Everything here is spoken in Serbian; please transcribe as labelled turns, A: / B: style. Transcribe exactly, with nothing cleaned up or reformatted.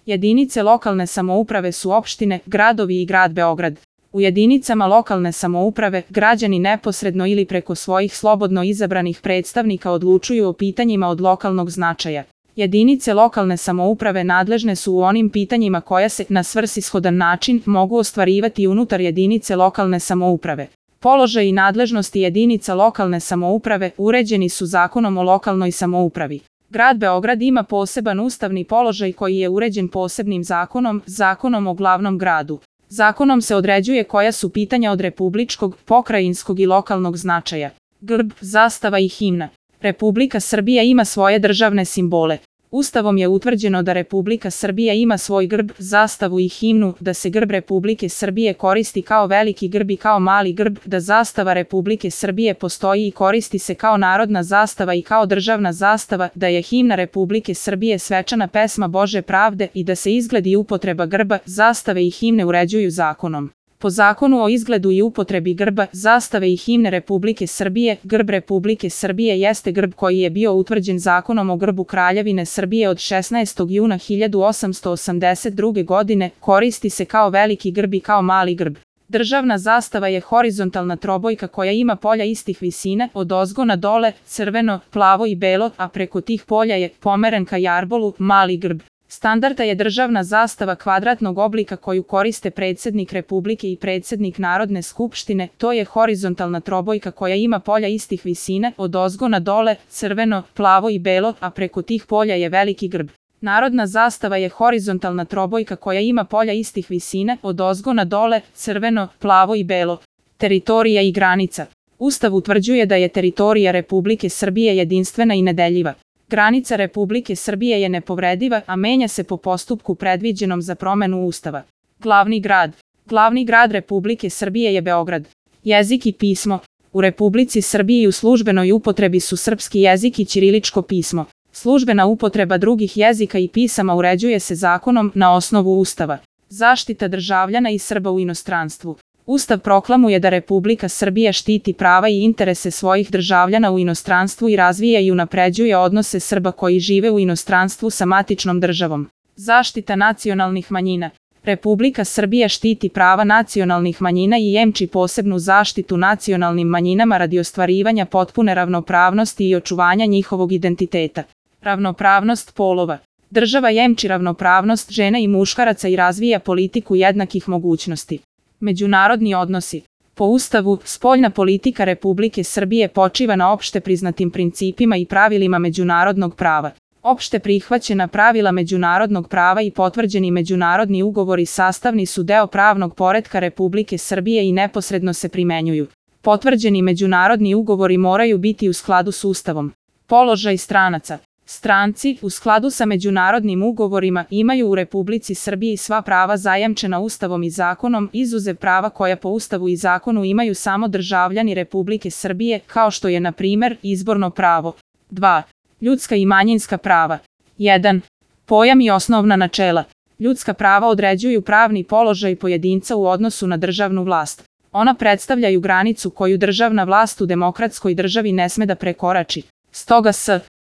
A: Jedinice lokalne samouprave su opštine, gradovi i grad Beograd. U jedinicama lokalne samouprave građani neposredno ili preko svojih slobodno izabranih predstavnika odlučuju o pitanjima od lokalnog značaja. Jedinice lokalne samouprave nadležne su u onim pitanjima koja se na svrsishodan način mogu ostvarivati unutar jedinice lokalne samouprave. Položaj i nadležnosti jedinica lokalne samouprave uređeni su Zakonom o lokalnoj samoupravi. Grad Beograd ima poseban ustavni položaj koji je uređen posebnim zakonom, Zakonom o glavnom gradu. Zakonom se određuje koja su pitanja od republičkog, pokrajinskog i lokalnog značaja. Grb, zastava i himna. Republika Srbija ima svoje državne simbole. Ustavom je utvrđeno da Republika Srbija ima svoj grb, zastavu i himnu, da se grb Republike Srbije koristi kao veliki grb i kao mali grb, da zastava Republike Srbije postoji i koristi se kao narodna zastava i kao državna zastava, da je himna Republike Srbije svečana pesma Bože pravde i da se izgled i upotreba grba, zastave i himne uređuju zakonom. Po Zakonu o izgledu i upotrebi grba, zastave i himne Republike Srbije, grb Republike Srbije jeste grb koji je bio utvrđen Zakonom o grbu Kraljevine Srbije od šesnaestog juna hiljadu osamsto osamdeset druge. godine, koristi se kao veliki grb i kao mali grb. Državna zastava je horizontalna trobojka koja ima polja istih visine, od ozgo na dole, crveno, plavo i belo, a preko tih polja je pomeren ka jarbolu, mali grb. Standardna je državna zastava kvadratnog oblika koju koriste predsjednik Republike i predsjednik Narodne skupštine, to je horizontalna trobojka koja ima polja istih visine, od ozgo na dole, crveno, plavo i belo, a preko tih polja je veliki grb. Narodna zastava je horizontalna trobojka koja ima polja istih visine, od ozgo na dole, crveno, plavo i belo. Teritorija i granica. Ustav utvrđuje da je teritorija Republike Srbije jedinstvena i nedeljiva. Granica Republike Srbije je nepovrediva, a menja se po postupku predviđenom za promenu Ustava. Glavni grad. Glavni grad Republike Srbije je Beograd. Jezik i pismo. U Republici Srbiji u službenoj upotrebi su srpski jezik i ćiriličko pismo. Službena upotreba drugih jezika i pisama uređuje se zakonom na osnovu Ustava. Zaštita državljana i Srba u inostranstvu. Ustav proklamuje da Republika Srbija štiti prava i interese svojih državljana u inostranstvu i razvija i unapređuje odnose Srba koji žive u inostranstvu sa matičnom državom. Zaštita nacionalnih manjina. Republika Srbija štiti prava nacionalnih manjina i jemči posebnu zaštitu nacionalnim manjinama radi ostvarivanja potpune ravnopravnosti i očuvanja njihovog identiteta. Ravnopravnost polova. Država jemči ravnopravnost žena i muškaraca i razvija politiku jednakih mogućnosti. Međunarodni odnosi. Po Ustavu, spoljna politika Republike Srbije počiva na opšte priznatim principima i pravilima međunarodnog prava. Opšte prihvaćena pravila međunarodnog prava i potvrđeni međunarodni ugovori sastavni su deo pravnog poretka Republike Srbije i neposredno se primenjuju. Potvrđeni međunarodni ugovori moraju biti u skladu s Ustavom. Položaj stranaca. Stranci, u skladu sa međunarodnim ugovorima, imaju u Republici Srbiji sva prava zajamčena Ustavom i zakonom, izuzev prava koja po Ustavu i zakonu imaju samo državljani Republike Srbije, kao što je, na primer, izborno pravo. dva. Ljudska i manjinska prava. jedan. Pojam i osnovna načela. Ljudska prava određuju pravni položaj pojedinca u odnosu na državnu vlast. Ona predstavljaju granicu koju državna vlast u demokratskoj državi ne sme da prekorači. Stoga s